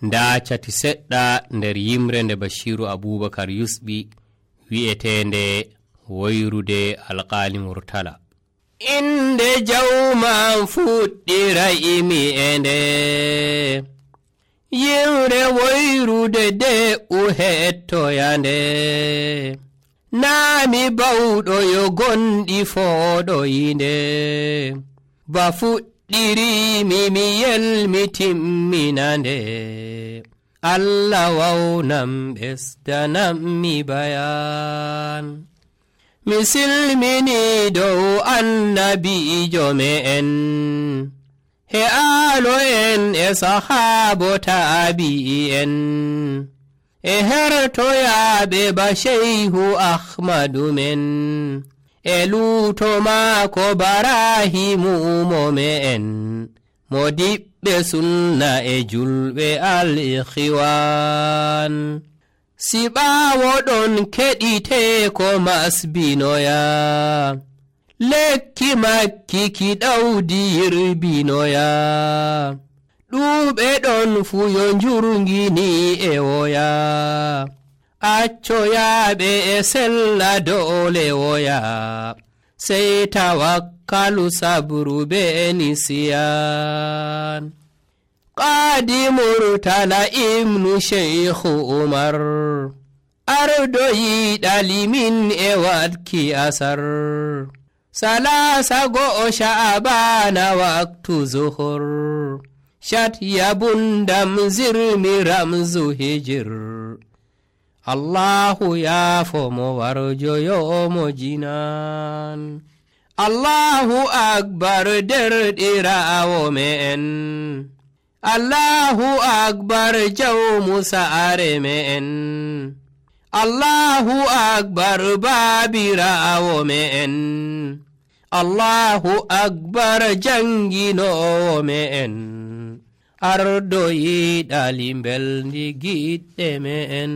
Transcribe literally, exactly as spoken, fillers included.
nda cati seɗɗa nder yimre nde Bashiru Abubakar yusɓi wi'etende woyrude alƙali Murtala. Inde jawman fuɗɗira imi e nde yimre woyrude de u hettoyande naami bawɗo yo gonɗi fooɗo yinde ba fuɗɗirimi mi yelmitimminande Allah wawnam ɓesdanam mi bayan mi silmini dow annabijo me'en he aalo en e sahaabo taabi'en e hertoyaaɓe ba Shehu Ahmadu men e luuto maako Barahimu mo me'en modiɓɓe sunna e julɓe al-Ikhwan si ɓaawo ɗon keɗite ko masbinoya lekki makki ki ɗawdi yirbinoya ɗuuɓe ɗon fu yo njurngini e woya accoyaaɓe e sella doole woya sey tawakkalu sabru be nisiyan Qaadi Murtala ibnu Sheikhu Umar ardo yiɗalimin e watki asar salasa go'o Sha'bana waktu zuhur shat yabundam zirmi ramzu hijir Allahu yaafomo warjoyomo jinan Allahu akbar derɗiraawo me'en Allahu akbar jawmu sa'are me'en Allahu akbar baabiraawo me'en Allahu akbar janginowo me'en ardo yiɗali mbelndi giɗɗe me'en.